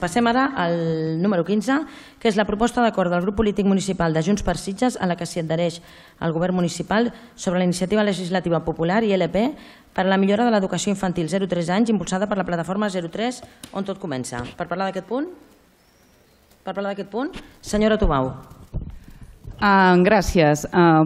Passem ara al número 15, que és la proposta d'acord del grup polític municipal de Junts per Sitges a la que s'hi adhereix el govern municipal sobre la iniciativa legislativa popular ILP per a la millora de l'educació infantil 0-3 anys impulsada per la plataforma 03 on tot comença. Per parlar d'aquest punt, senyora Tubau. Gràcies.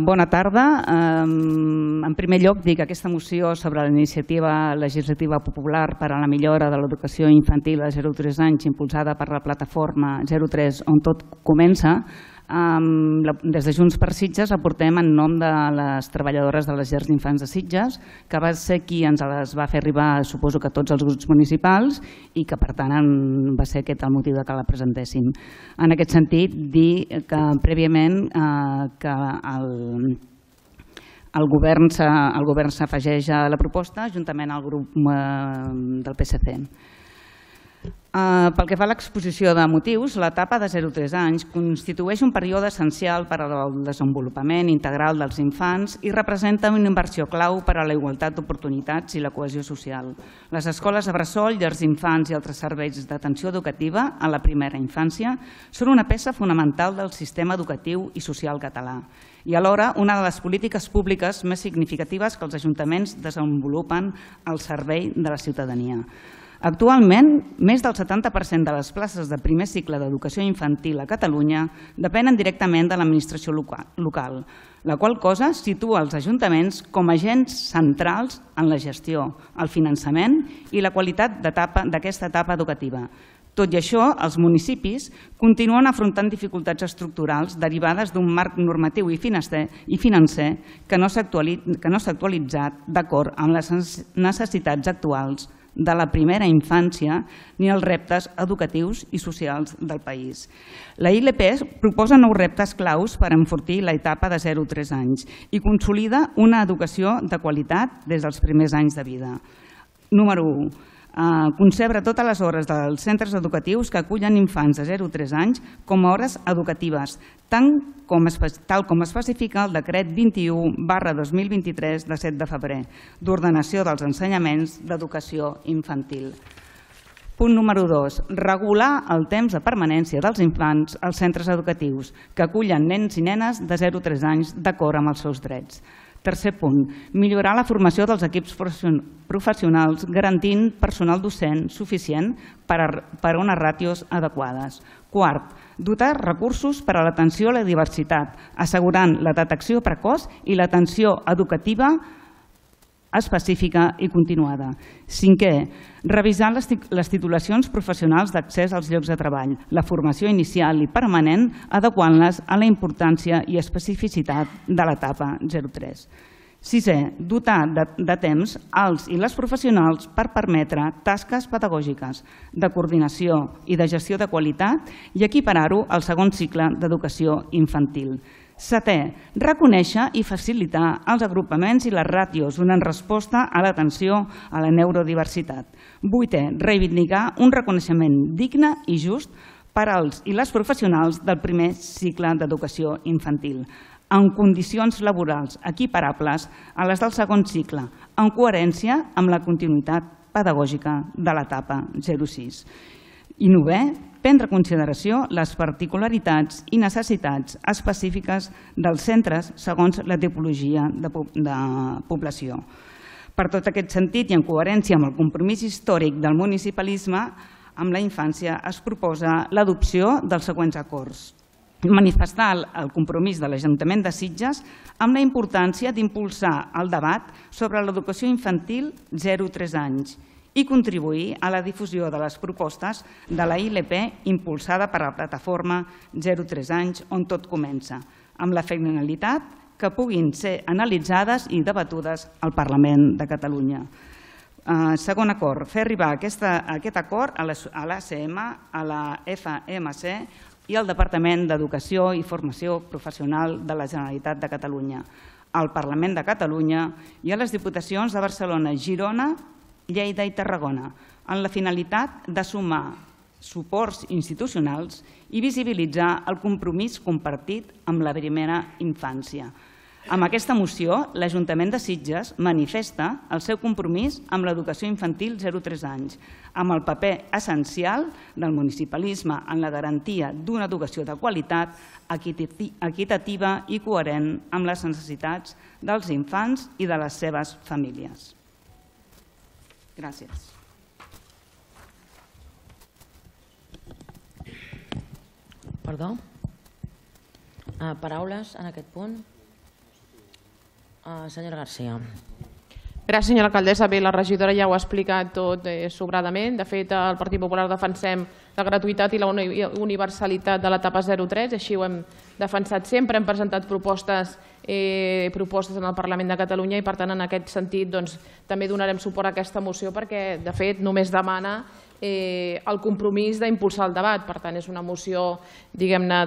Bona tarda. En primer lloc, dic que aquesta moció sobre la iniciativa legislativa popular per a la millora de l'educació infantil a 0-3 anys impulsada per la plataforma 03 on tot comença, des de Junts per Sitges la portem en nom de les treballadores de les llars d'infants de Sitges, que va ser qui ens les va fer arribar, suposo que tots els grups municipals, i que per tant va ser aquest el motiu que la presentéssim. En aquest sentit, dir que prèviament que el govern s'afegeix a la proposta juntament al grup del PSC. Pel que fa a l'exposició de motius, l'etapa de 0-3 anys constitueix un període essencial per al desenvolupament integral dels infants i representa una inversió clau per a la igualtat d'oportunitats i la cohesió social. Les escoles de bressol, llars d'infants i altres serveis d'atenció educativa a la primera infància són una peça fonamental del sistema educatiu i social català i alhora una de les polítiques públiques més significatives que els ajuntaments desenvolupen al servei de la ciutadania. Actualment, més del 70% de les places de primer cicle d'educació infantil a Catalunya depenen directament de l'administració local, la qual cosa situa els ajuntaments com a agents centrals en la gestió, el finançament i la qualitat d'aquesta etapa educativa. Tot i això, els municipis continuen afrontant dificultats estructurals derivades d'un marc normatiu i financer que no s'ha actualitzat d'acord amb les necessitats actuals de la primera infància ni els reptes educatius i socials del país. La ILP proposa nous reptes claus per enfortir l'etapa de 0-3 anys i consolida una educació de qualitat des dels primers anys de vida. Número 1. Concebre totes les hores dels centres educatius que acullen infants de 0-3 anys com a hores educatives, tal com especifica el decret 21/2023 de 7 de febrer d'ordenació dels ensenyaments d'educació infantil. Punt número 2. Regular el temps de permanència dels infants als centres educatius que acullen nens i nenes de 0-3 anys d'acord amb els seus drets. Tercer punt, millorar la formació dels equips professionals garantint personal docent suficient per a unes ràtios adequades. Quart, dotar recursos per a l'atenció a la diversitat, assegurant la detecció precoç i l'atenció educativa específica i continuada. Cinquè, revisar les titulacions professionals d'accés als llocs de treball, la formació inicial i permanent, adequant-les a la importància i especificitat de l'etapa 0-3. Sisè, dotar de temps als i les professionals per permetre tasques pedagògiques, de coordinació i de gestió de qualitat i equiparar-ho al segon cicle d'educació infantil. Setè, reconèixer i facilitar els agrupaments i les ràtios donant resposta a l'atenció a la neurodiversitat. Vuitè, reivindicar un reconeixement digne i just per als i les professionals del primer cicle d'educació infantil, en condicions laborals equiparables a les del segon cicle, en coherència amb la continuïtat pedagògica de l'etapa 0-6. I novè, prendre en consideració les particularitats i necessitats específiques dels centres segons la tipologia de població. Per tot aquest sentit i en coherència amb el compromís històric del municipalisme amb la infància es proposa l'adopció dels següents acords. Manifestar el compromís de l'Ajuntament de Sitges amb la importància d'impulsar el debat sobre l'educació infantil 0-3 anys i contribuir a la difusió de les propostes de la ILP impulsada per la plataforma 0-3 anys on tot comença, amb la finalitat que puguin ser analitzades i debatudes al Parlament de Catalunya. Segon acord, fer arribar aquest acord a l'ACM, a la FMC i al Departament d'Educació i Formació Professional de la Generalitat de Catalunya, al Parlament de Catalunya i a les Diputacions de Barcelona, Girona, Lleida i Tarragona, amb la finalitat de sumar suports institucionals i visibilitzar el compromís compartit amb la primera infància. Amb aquesta moció, l'Ajuntament de Sitges manifesta el seu compromís amb l'educació infantil 0-3 anys, amb el paper essencial del municipalisme en la garantia d'una educació de qualitat, equitativa i coherent amb les necessitats dels infants i de les seves famílies. Gràcies. Perdó? Paraules en aquest punt? Senyora García. Gràcies, senyora alcaldessa. Bé, la regidora ja ho ha explicat tot sobradament. De fet, al Partit Popular defensem la gratuïtat i la universalitat de l'etapa 0-3, així ho hem defensat sempre. Hem presentat propostes en el Parlament de Catalunya i, per tant, en aquest sentit, també donarem suport a aquesta moció perquè, de fet, només demana el compromís d'impulsar el debat. Per tant, és una moció, diguem-ne,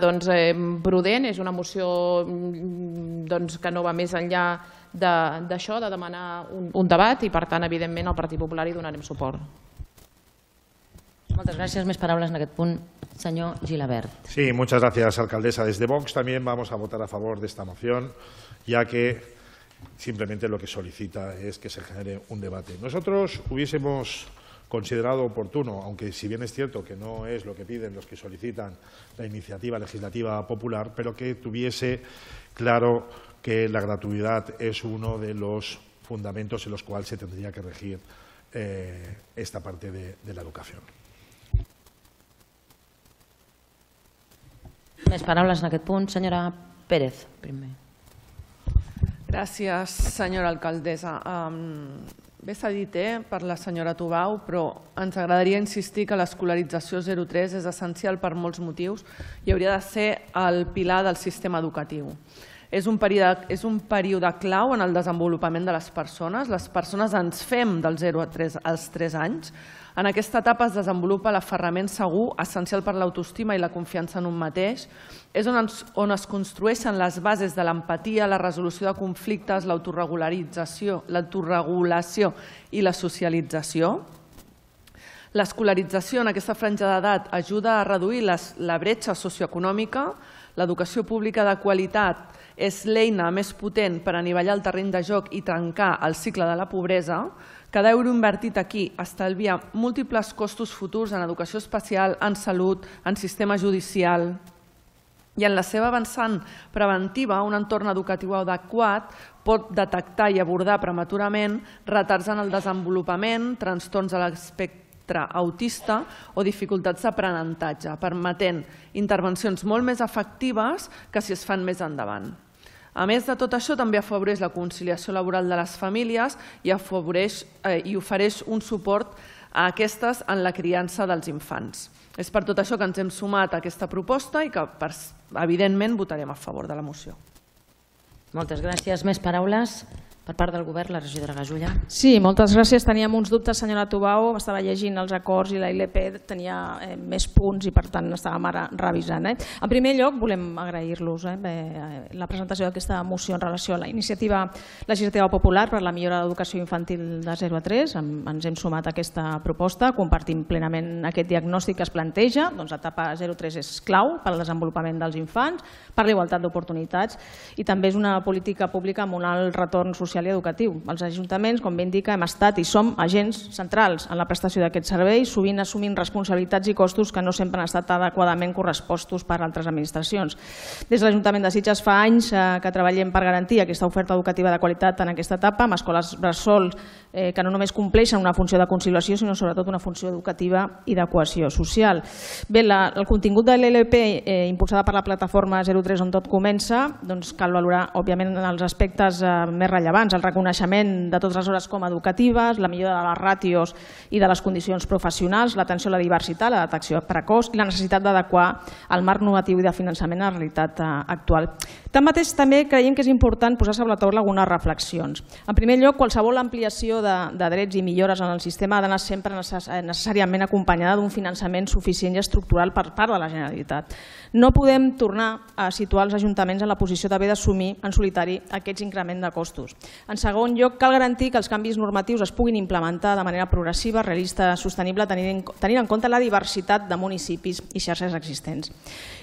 prudent, és una moció que no va més enllà d'això, de demanar un debat i, per tant, evidentment, al Partit Popular hi donarem suport. Moltes gràcies. Més paraules en aquest punt. Señor Gilabert. Sí, muchas gracias, alcaldesa. Desde Vox también vamos a votar a favor de esta moción, ya que simplemente lo que solicita es que se genere un debate. Nosotros hubiésemos considerado oportuno, aunque si bien es cierto que no es lo que piden los que solicitan la iniciativa legislativa popular, pero que tuviese claro que la gratuidad es uno de los fundamentos en los cuales se tendría que regir esta parte de la educación. Més paraules en aquest punt. Senyora Pérez, primer. Gràcies, senyora alcaldessa. Bé s'ha dit per la senyora Tubau, però ens agradaria insistir que l'escolarització 0-3 és essencial per molts motius i hauria de ser el pilar del sistema educatiu. És un període clau en el desenvolupament de les persones. Les persones ens fem del 0 als 3 anys. En aquesta etapa es desenvolupa l'aferrament segur, essencial per l'autoestima i la confiança en un mateix. És on es construeixen les bases de l'empatia, la resolució de conflictes, l'autoregulació i la socialització. L'escolarització en aquesta franja d'edat ajuda a reduir la bretxa socioeconòmica. L'educació pública de qualitat és l'eina més potent per anivellar el terreny de joc i trencar el cicle de la pobresa. Cada euro invertit aquí estalvia múltiples costos futurs en educació especial, en salut, en sistema judicial. I en la seva vessant preventiva, un entorn educatiu adequat pot detectar i abordar prematurament retards en el desenvolupament, trastorns de l'espectre autista o dificultats d'aprenentatge, permetent intervencions molt més efectives que si es fan més endavant. A més de tot això, també afavoreix la conciliació laboral de les famílies i ofereix un suport a aquestes en la criança dels infants. És per tot això que ens hem sumat a aquesta proposta i que, evidentment, votarem a favor de la moció. Moltes gràcies. Més paraules per part del govern, la regidora Gasulla. Sí, moltes gràcies. Teníem uns dubtes, senyora Tubau, estava llegint els acords i la ILP tenia més punts i per tant estàvem ara revisant. En primer lloc volem agrair-los la presentació d'aquesta moció en relació a la iniciativa legislativa popular per la millora de l'educació infantil de 0 a 3. Ens hem sumat a aquesta proposta, compartim plenament aquest diagnòstic que es planteja. L'etapa 0-3 és clau per al desenvolupament dels infants, per la igualtat d'oportunitats i també és una política pública amb un alt retorn social i educatiu. Els ajuntaments, com bé indica, hem estat i som agents centrals en la prestació d'aquests serveis, sovint assumint responsabilitats i costos que no sempre han estat adequadament correspostos per altres administracions. Des de l'Ajuntament de Sitges fa anys que treballem per garantir aquesta oferta educativa de qualitat en aquesta etapa, amb escoles bressol que no només compleixen una funció de conciliació, sinó sobretot una funció educativa i de cohesió social. Bé, el contingut de l'LP impulsada per la plataforma 0-3 on tot comença, cal valorar, òbviament, els aspectes més rellevants, el reconeixement de totes les hores com a educatives, la millora de les ràtios i de les condicions professionals, l'atenció a la diversitat, la detecció precoç i la necessitat d'adequar el marc normatiu i de finançament a la realitat actual. Tanmateix, també creiem que és important posar sobre la taula algunes reflexions. En primer lloc, qualsevol ampliació de drets i millores en el sistema ha d'anar sempre necessàriament acompanyada d'un finançament suficient i estructural per part de la Generalitat. No podem tornar a situar els ajuntaments en la posició d'haver d'assumir en solitari aquests increments de costos. En segon lloc, cal garantir que els canvis normatius es puguin implementar de manera progressiva, realista, sostenible, tenint en compte la diversitat de municipis i xarxes existents.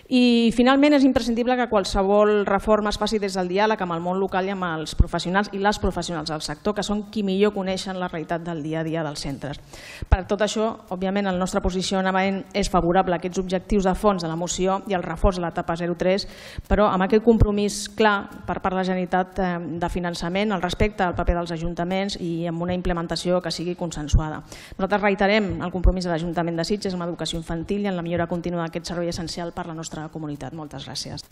I, finalment, és imprescindible que qualsevol reforma es faci des del diàleg amb el món local i amb els professionals i les professionals del sector, que són qui millor coneixen la realitat del dia a dia dels centres. Per tot això, òbviament, el nostre posicionament és favorable a aquests objectius de fons de la moció i al reforç de l'etapa 0-3, però amb aquest compromís clar per part de la Generalitat de finançament, el respecte al paper dels ajuntaments i amb una implementació que sigui consensuada. Nosaltres reiterem el compromís de l'Ajuntament de Sitges amb l'educació infantil i en la millora contínua d'aquest servei essencial per a la nostra comunitat. Moltes gràcies.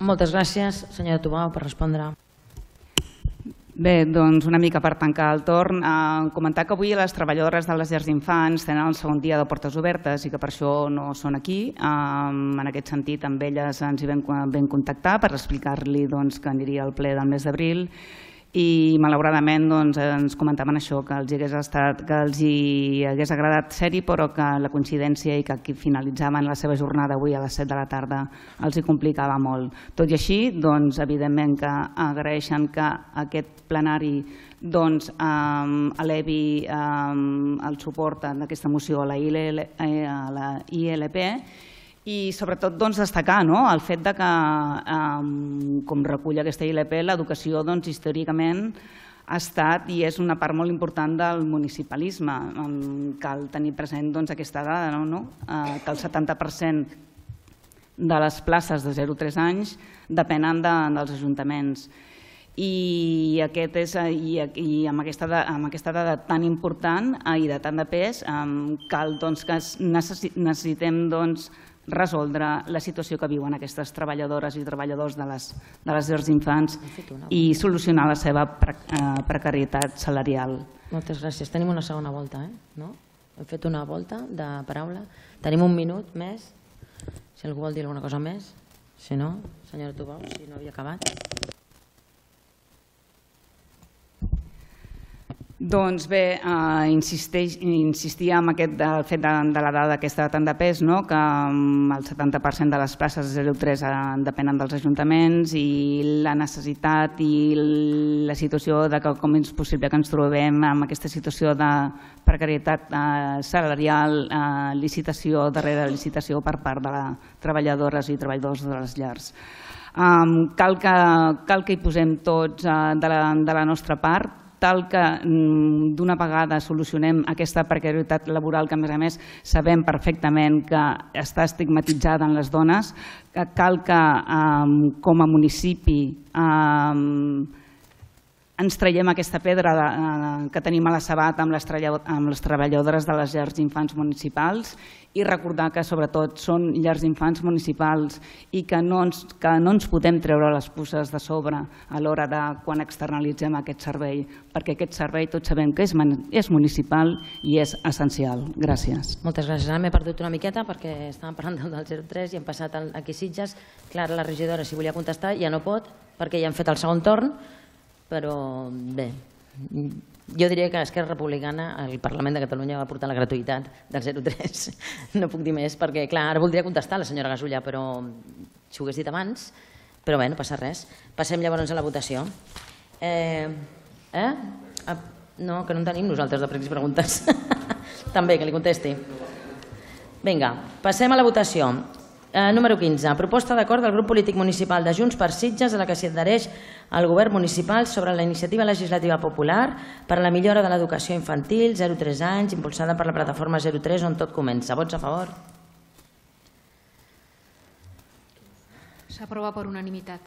Moltes gràcies, senyora Tubau, per respondre. Bé, doncs una mica per tancar el torn, comentar que avui les treballadores de les llars d'infants tenen el segon dia de portes obertes i que per això no són aquí. En aquest sentit, amb elles ens hi vam contactar per explicar-li que aniria al ple del mes d'abril i malauradament ens comentaven això, que els hi hagués agradat ser-hi, però que la coincidència i que finalitzaven la seva jornada avui a les 7 de la tarda els hi complicava molt. Tot i així, evidentment que agraeixen que aquest plenari elevi el suport d'aquesta moció a la ILP i sobretot destacar el fet que, com recull aquesta ILP, l'educació històricament ha estat i és una part molt important del municipalisme. Cal tenir present aquesta dada, que el 70% de les places de 0 a 3 anys depenen dels ajuntaments. I amb aquesta dada tan important i de tant de pes cal que necessitem resoldre la situació que viuen aquestes treballadores i treballadors de les llars d'infants i solucionar la seva precarietat salarial. Moltes gràcies. Tenim una segona volta, no? Hem fet una volta de paraula. Tenim un minut més, si algú vol dir alguna cosa més. Si no, senyora Tubau, si no havia acabat. Doncs bé, insistia en aquest fet de la dada aquesta de tant de pes, que el 70% de les places de 0-3 depenen dels ajuntaments i la necessitat i la situació de com és possible que ens trobem amb aquesta situació de precarietat salarial, licitació darrere licitació per part de les treballadores i treballadors de les llars. Cal que hi posem tots de la nostra part, tal que d'una vegada solucionem aquesta precarietat laboral que, a més, sabem perfectament que està estigmatitzada en les dones, cal que com a municipi ens traiem aquesta pedra que tenim a la sabata amb les treballadores de les llars d'infants municipals i recordar que sobretot són llars d'infants municipals i que no ens podem treure les puces de sobre a l'hora de quan externalitzem aquest servei, perquè aquest servei tots sabem que és municipal i és essencial. Gràcies. Moltes gràcies. Ara m'he perdut una miqueta perquè estàvem parlant del 0-3 i hem passat aquí a Sitges. Clara, la regidora, si volia contestar, ja no pot perquè ja hem fet el segon torn, però bé, jo diria que Esquerra Republicana al Parlament de Catalunya va portar la gratuïtat del 0-3. No puc dir més perquè, clar, ara voldria contestar la senyora Gasulla, però si ho hagués dit abans, però bé, no passa res. Passem llavors a la votació. No, que no en tenim nosaltres de pregs i preguntes. També, que li contesti. Vinga, passem a la votació. Número 15. Proposta d'acord del grup polític municipal de Junts per Sitges a la que s'hi adhereix el govern municipal sobre la iniciativa legislativa popular per a la millora de l'educació infantil 0-3 anys impulsada per la plataforma 0-3 on tot comença. Vots a favor? S'aprova per unanimitat.